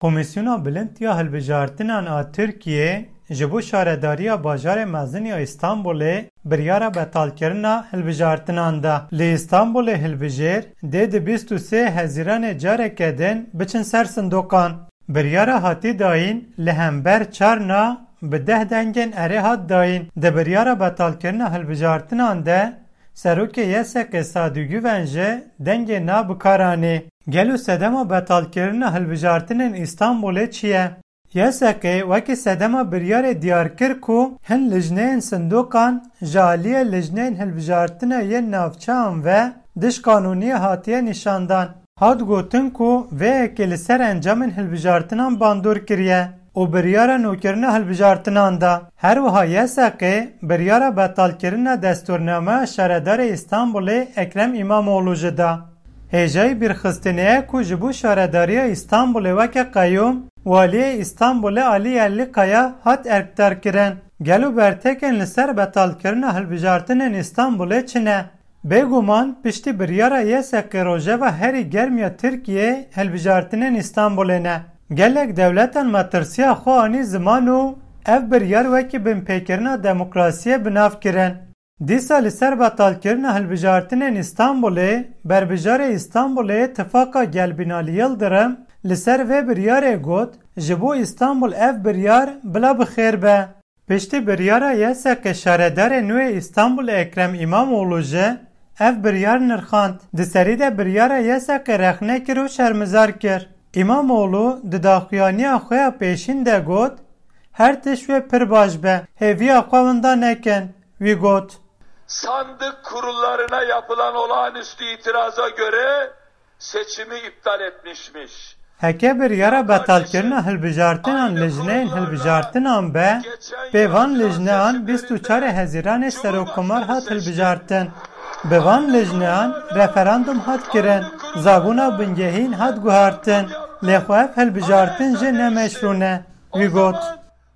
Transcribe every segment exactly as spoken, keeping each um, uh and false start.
Komîsyona Bilind ya Hilbijartinan a Tirkiyê ji bo şaredariya bajarê mezin ya Îstanbulê biryara betalkirina hilbijartinan da. Li Îstanbulê hilbijêr dê di bîst û sê Hezîranê careke din biçin ser sindoqan. Biryara hatî dayîn li hember çarna bi deh dengên erê hat dayîn. Di biryara betalkirina hilbijartinan de Serokê Y S K'ê Sadî Guven jî dengê na bi kar anî. Gelo sedema betalkirina hilbijartinên Îstanbulê çi ye? Y S K wekî sedema biryarê diyar kir ku hin lijneyên sindoqan ji aliyê lijneyên hilbijartinê yên navçeyan ve diş qanûniyê hatiye nîşandan. Hat gotin ku vê yekê li ser encamên hilbijartinan bandor kiriye û biryara nûkirina hilbijartinan da. Her wiha Y S K biryara betalkirina destûrnameya şaredarê Îstanbulê Ekrem Îmamoğlu jî da. Hêjayî bîrxistinê ye ku ji bo şaredariya Îstanbulê weke qeyûm, waliyê Îstanbulê Alî Yerlikaya hat erkdarkirin. Gelo bertekên li ser betalkirina hilbijartinên Îstanbulê çi ne? Bêguman piştî biryara Y S K rojeva herî germ ya Tirkiyê hilbijartinên Îstanbulê ne. Gelek dewletan metirsiya xwe anî ziman û ev biryar wekî binpêkirina demokrasiyê bi nav kirin. Dîsa li ser betalkirina hilbijartinên Îstanbulê, berbijarê Îstanbulê Tifaka Gel Binalî Yildirim li ser vê biryarê got, ji bo Îstanbul ev biryar bila bi xêr be. Piştî biryara Y S K şaredarê nû yê Îstanbulê Ekrem Îmamoğlu jî ev biryar nirxand. Di serî de biryara Y S K rexne kir û şermizar kir. Îmamoğlu di daxuyaniya xwe ya pêşîn de got, her tişt wê pir baş be, hêviya xwe winda nekin. Wî got. Sandık kurullarına yapılan olağanüstü itiraza göre seçimi iptal etmişmiş. Heke biryara betalkirina hilbijartinan lijneyên hilbijartinan be, pê van lijneyan bîst û çarê Hezîranê Serokkomar hat hilbijartin. Bi van lijneyan referandum hat kirin, zabûna bingehîn hat guhartin, lê xwe ev hilbijartin jî ne meşrû ne. Wî got.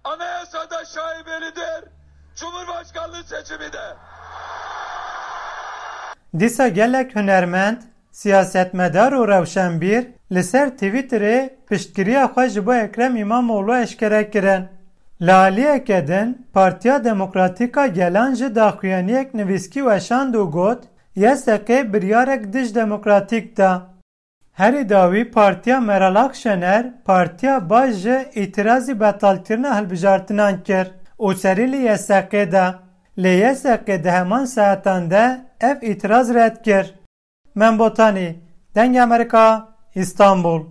Anayasada şaibelidir. Cumhurbaşkanlığı seçimi de. Dîsa gelek hunermend, siyasetmedar û rewşenbîr li ser Twitterê piştgiriya xwe ji bo Ekrem Îmamoğlu eşkere kirin. Li aliyeke din, Partiya Demokratîk a Gelan jî daxuyaniyek nivîskî weşand û got, Y S K biryarek dij demokratîk da. Herî dawî Partiya Meral Akşener, Partiya Baş jî îtirazî betalkirina hilbijartinan kir û serî li Y S K da. Lê Y S K di heman saetan de ev îtiraz red kir. Mem Botanî, Dengê Amerîka, Îstanbul.